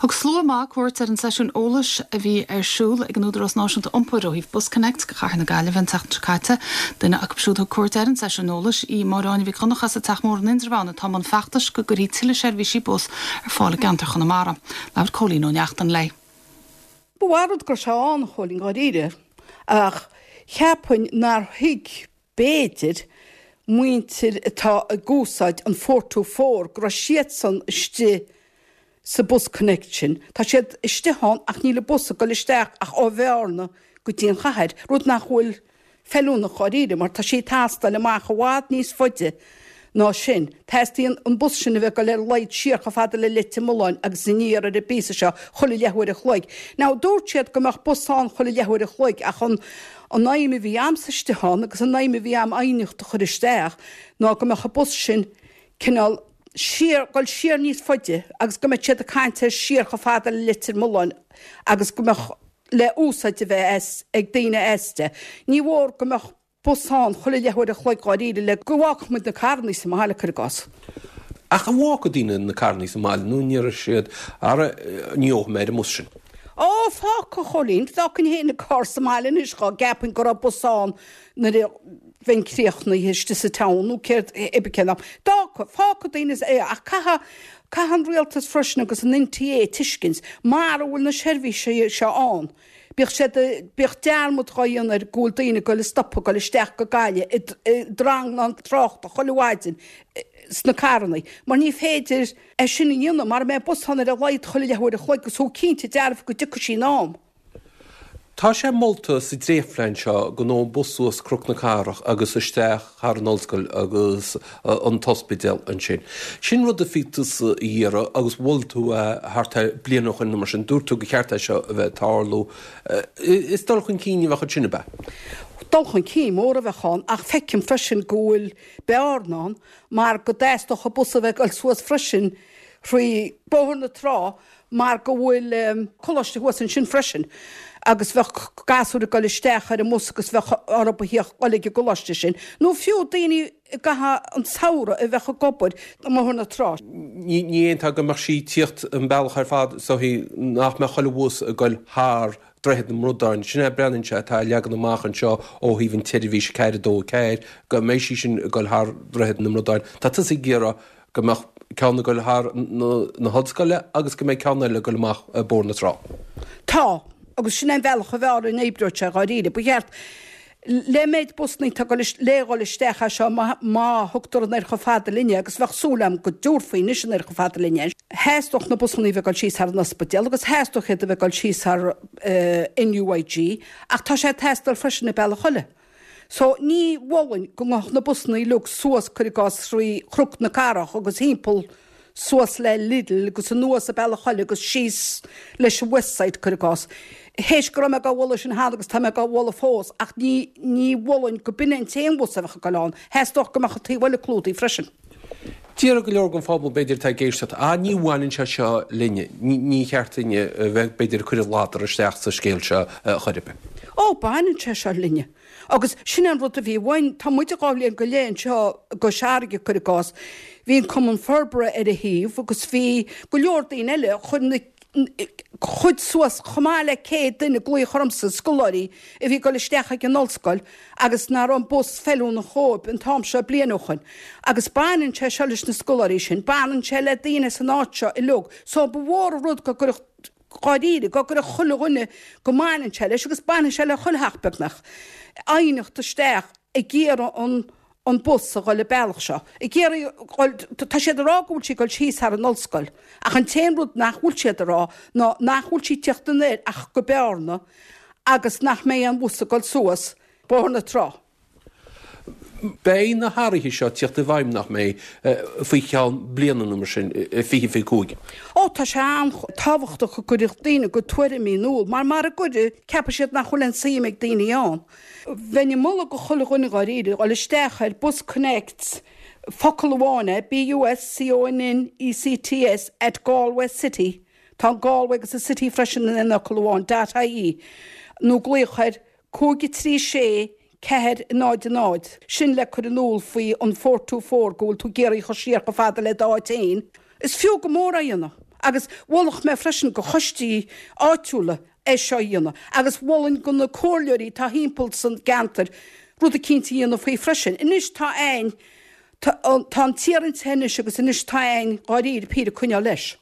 Thug slua maith cuairt ar an seisiún eolais a bhí ar siúl ag an Údarás Náisiúnta Iompair ó thaobh BusConnects go Chathair na Gaillimhe an tseachtain seo caite. Duine acu siúd a thug cuairt ar an seisiún eolais í Máire Áine Mhic Dhonncha as an Teach Mór in Indreabhán atá i mbun feachtais go gcuirfí tuilleadh seirbhísí bus ar fáil i gceantar Chonamara. Labhair Cóilín Ó Neachtain léi. Ba mhaith an rud go raibh sé ann, a Chóilín, dháiríre, ach cheapfainn nár thuig b'fhéidir, muintir atá ag úsáid an 424 go raibh siadsan istigh sa BusConnects sin. Tá siad istigh ann ach níl an bus ag dul isteach ach ó Bhearna go dtí an chathair, rud nach bhfuil feiliúnach dháiríre mar tá sí ag teastáil amach i bhfad níos faide ná sin. Teastaíonn an bus sin a bheith ag dul ar a laghad siar chomh fada le Leitir Mealláin agus aniar ar an bpíosa seo chuile leathuair a chloig. Now dúirt siad go mbeadh bus ann chuile leathuair a chloig ach an an aidhm a bhí a'msa istigh ann agus an aidhm a bhí a'm aighneacht a chur isteach ná go mbeadh an bus sin cineál siar, dul siar níos faide agus go mbeadh siad ag caint ar siar chomh fada le Leitir Mealláin agus go mbeadh le úsáid a bheith as ag daoine aisti. Ní mhór go mbeadh bus ann chuile leathuair a chloig dháiríre le go bhfágfadh muid na carrannaí sa mbaile, cuir i gcás. Ach an bhfágfadh daoine na carrannaí sa mbaile nó an ndéarfaidh siad, ara, ní gheobhaidh mé ar an mbus sin? Ó, fágfadh, a Chóilín. D'fhágfainn féin an carr sa mbaile anois dhá gceapfainn go raibh bus ann nuair a bheinn críochnaithe istigh sa town nó céard, cibé cén am. D'fhágfadh, fágfadh daoine é ach caithfidh, caithfidh an rialtas freisin agus an NTA tuiscint mara bhfuil na seirbhísí seo ann, Bíodh siad, bíodh dearmad dhá dhéanamh air go bhfuil daoine ag goil a stopadh ag goil isteach go Gaillimh i dtranglam tráchta chuile mhaidin sna carrannaí mar ní féidir é sin a dhéanamh mara mbeidh bus ann ar a laghad chuile leathuair a chloig agus thú cinnte dearfa go dtiocfaidh sí in am. Tá sé molta sa dréachtphlean seo go ngabhfadh an bus suas Cnoc na Cathrach agus isteach thar an ollscoil agus an t-ospidéal ansin. Sin rud a bhí tusa a iarraidh agus mhol tú é thart ar bliain ó shoin nó mar sin. Dúirt tú gur cheart é seo a bheith ag tarlú. Is dul chun cinn a bheadh ansin, ab ea? Dul chun cinn mór a bheadh ann ach feicim freisin go bhfuil bearna ann mar go dteastódh an bus a bheith ag dul suas freisin thrí Bóthar na Trá mar go bhfuil coláiste thuas ansin freisin agus bheadh gasúir ag dul isteach ar an mbus agus bheadh orthu a thíocht dul ag an gcoláiste sin, nó fiú daoine i gcaitheamh an tsamhraidh a bheadh ag obair i mBóthar na Trá. Ní aontófá go mbeadh sí ag tíocht an bealach ar fad is dóichí nach mbeadh chuile bhus ag dul thar Droichead na mBradán. Sin é breathnaíonn sé atá leagan amach anseo ó thaobh an tseirbhís 4 2 4 go mbeidh sí sin ag dul thar Droichead na mBradán. Tá tusa ag iarraidh go mbeadh ceann ag dul thar na hollscoile agus go mbeidh ceann eile ag dul amach Bóthar na Trá. Tá, agus sin é an bealach a b'fhearr a n-oibreodh sé dháiríre. Ba cheart, le méid busannaí atá le dhul isteach as seo má thugtar anoir chomh fada linne, agus bheadh súil agam go dtabharfaí anois anoir chomh fada linne é, theastódh na busannaí a bheith ag dul síos thar an ospidéal agus theastódh iad a bheith ag dul síos thar NUIG, ach tá sé ag teastáil freisin an bealach eile. So, ní mholfainn go ngabhfadh na busannaí uilig suas, cuir i gcás, thrí Chnoc na Cathrach agus thimpeall suas le Lidl agus anuas an bealach eile agus síos leis an Westside, cuir i gcás. Théis go raibh mé dhá mholadh sin cheana agus tá mé dhá mholadh fós ach ní, ní mholfainn go b'in é an t-aon bhus a bheadh ag dul ann. Theastódh go mbeadh an taobh eile clúdaithe freisin. Déarfadh go leor den phobal, b'fhéidir, atá ag éisteacht, ah, ní bhaineann sé seo linne, ní cheart duinne a bheith, b'fhéidir, ag cur an ladar isteach sa scéal seo chor ar bith. Ó, baineann sé seo linne. Agus sin é an rud a bhí uainn. Tá muid dhá bhliain go leith anseo i gCois Fharraige, cuir i gcás. Bhí an Cumann Forbartha ar a thaobh agus bhí go leor daoine eile. Chuir na chuid suas chomh maith le 100 duine glaoch ormsa, scoláirí a bhí ag dul isteach ag an ollscoil agus nach raibh an bus feiliúnach dhóibh an t-am seo bliain ó shoin. Agus baineann sé seo leis na scoláirí sin, baineann sé le daoine san áit seo uilig. So ba mhór an rud go gcuirfeadh, dháiríre, go gcuirfeadh chuile dhuine go mbaineann sé leis, agus baineann sé le chuile theach beagnach, aighneacht isteach ag iarraidh an an bus a dhul an bealach seo. Ag iarraidh dhul, tá siad ag rá go bhfuil sí ag dul síos thar an ollscoil, ach an t-aon rud nach bhfuil siad ag rá ná nach bhfuil sí ag tíocht anoir ach go Bearna agus nach mbeidh aon bhus ag dul suas Bóthar na Trá. Beidh na hathruithe seo ag tíocht i bhfeidhm, nach mbeidh, faoi cheann bliana nó mar sin, 2025? Ó, tá sé an-tábhachtach go gcuirfeadh daoine a gcuid tuairimí in iúl, mar mara gcuirfidh, ceapfaidh siad nach bhfuil aon suim ag daoine ann. Bheinn ag moladh go chuile dhuine dháiríre dhul isteach ar BusConnects, focal amháin é, B-U-S-C-O-N-N-E-C-T-S, at Galway City, tá an Galway agus an City freisin in aon fhocal amháin, dot ie, nó glaoch ar 5 3 6 4 0 0, sin le cur in iúl faoi an 424 go bhfuil tú ag iarraidh a chur siar chomh fada le d'áit fhéin. Is fiú go mór é a dhéanamh. Agus mholfadh mé freisin go choistí áitiúla é seo a dhéanamh agus mholfainn go na comhairleoirí atá thimpeall san gceantar rud eicínt a dhéanamh faoi freisin. Anois tá a'ainn, tá an t-iarraint anois agus anois tá a'ainn dháiríre píre coinneáil leis.